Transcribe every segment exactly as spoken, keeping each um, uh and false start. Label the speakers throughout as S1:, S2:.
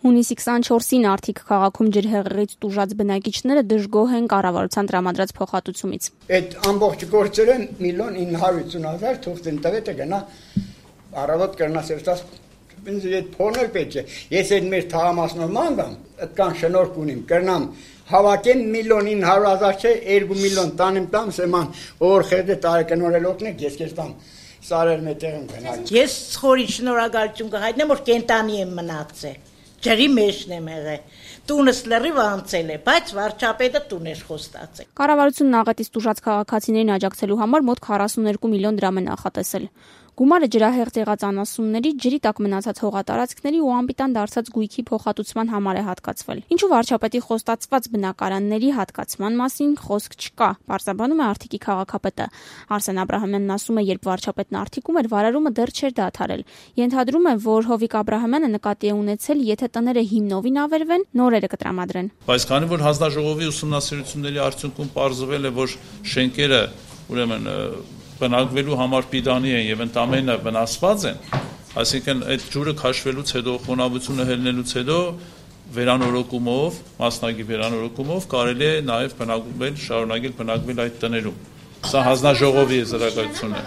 S1: Հունիսի քսանչորսին Արթիկ քաղաքում ջրհեղեղից տուժած բնակիչները դժգոհ են կառավարության տրամադրած փոխհատուցումից։
S2: Այդ ամբողջ գործերը միլիոն ինը հարյուր ութսուն հազար թուղթին տվետը գնա առավոտ կրնասերտած ինձ այդ փոնել պետք է։ Ես այդ մեր թաղամասնով մանգամ, այդքան շնորհք ունիմ, կրնամ հավաքեմ միլիոն ինը հարյուր հազար չէ, երկու միլիոն տանեմ տամ, սեման օր խերդե տարեկնորել օգնեք, ես քեզ տամ։ Սարել մետեղում գնալ։
S3: Ես ցորի շնորհակալություն կհայտնեմ, որ կենտանի եմ մնացել։ Ջրի մեջն եմ եղել։ Տունս լրիվ անցել է, բայց վարչապետը տուն էր խոստացել։
S1: Կառավարությունն աղետից տուժած քաղաքացիներին աջակցելու համար մոտ քառասունուերկու միլիոն դրամ է նախատեսել։ Գումարը ջրահեղձ եղած անասունների, ջրի տակ մնացած հողատարածքների ու անպիտան դարձած գույքի փոխհատուցման համար է հատկացվել։ Ինչու վարչապետի խոստացված բնակարանների հատկացման մասին խոսք չկա, պարզաբանում է Արթիկի քաղաքապետը։ Արսեն Աբրահամյանն ասում է, երբ վարչապետն Արթիկում էր, վարարումը դեռ չէր դադարել։ Ենթադրում է, որ Հովիկ Աբրահամյանը նկատի է ունեցել, եթե տները հիմնովին ավերվեն, նորերը կտրամադրեն։
S4: Բայց քանի որ հանձնաժողովի ուսումնասիրությունների արդյունքում պարզվել է, որ շենքերը ուրեմն բնակվելու համար պիտանի են եւ ընդամենը վնասված են, այսինքն այդ ջուրը քաշվելուց հետո, խոնավությունը հելնելուց հետո վերանորոգումով, մասնագի վերանորոգումով կարելի է նաեւ բնակվել, շարունակել բնակվել այդ տներում։ Սա հանձնաժողովի եզրակացությունն է։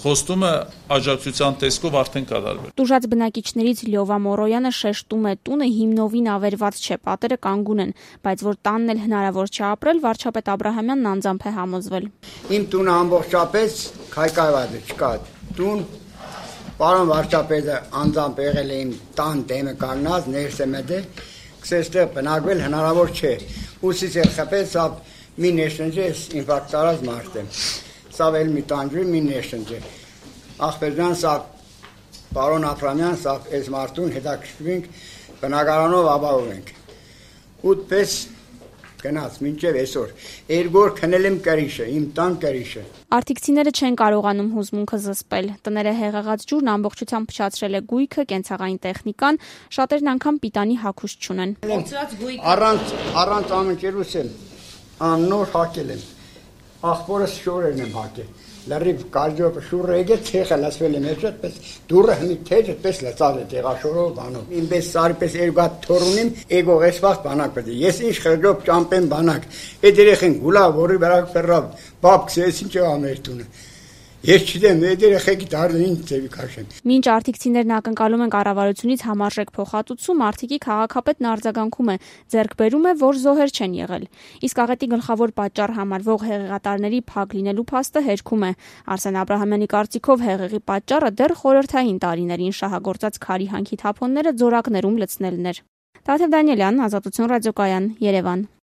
S4: Խոստումը աջակցության տեսքով արդեն կատարվել։
S1: Տուժած բնակիչներից Լյովա Մորոյանը շեշտում է, տունը հիմնովին ավերված չէ, պատերը կանգուն են, բայց որ տանն էլ հնարավոր չէ ապրել, վարչապետ Աբրահամյանն անձամբ է համոզվել։
S2: Իմ տունը ամբողջապես քայքայված է, չկա տուն։ Պարոն վարչապետը անձամբ եղել է իմ տան դեմը կանգնած, ներս է մտել, քսեստեղ բնակվել հնարավոր չէ։ Ուսից էլ խփեց, սա մի ներշնջի ինֆարկտ արած մարդ է։ Սա վել մի տանջի մի ներշնջի։ Ախպերյան սա պարոն Աբրահամյան, սա այս մարդուն հետաքրքրվենք, բնակարանով ապահովենք։ Ուտպես գնաց մինչև այսօր։ Երկու օր քնել եմ կրիշը, իմ տան կրիշը։
S1: Արթիկցիները չեն կարողանում հուզմունքը զսպել։ Տները հեղեղած ջուրն ամբողջությամբ փչացրել է գույքը, կենցաղային տեխնիկան, շատերն անգամ պիտանի հագուստ չունեն։
S2: Առանց առանց ամենքերուս եմ աննոր հակել եմ։ Ախպորս շորերն եմ հակել։ Լրիվ կարջով շուրը եկել ցեխը լացվել եմ այդպես դուրը հնի թեժ այդպես լացավ է տեղաշորով բանով։ Ինպես սարպես երկու հատ թորունին էգո էսված բանակ պետք է։ Ես ինչ խրդով ճամպեմ բանակ։ Այդ երեխեն գուլա որի վրա ֆերրավ բաբքս ես ինչ ամեր տունը։ Ես չգիտեմ, այդ երեխեքի դարն ինչ ծեվի քաշեն։
S1: Մինչ արթիկցիներն ակնկալում են կառավարությունից համարժեք փոխհատուցում, Արթիկի քաղաքապետն արձագանքում է, ձեռք բերում է, որ զոհեր չեն եղել։ Իսկ աղետի գլխավոր պատճառ համարվող հեղեղատարների փակ լինելու փաստը հերքում է։ Արսեն Աբրահամյանի կարծիքով հեղեղի պատճառը դեռ խորհրդային տարիներին շահագործած քարի հանքի թափոնները ձորակներում լցնելն էր։ Տաթև Դանիելյան, Ազատություն ռադիոկայան, Երևան։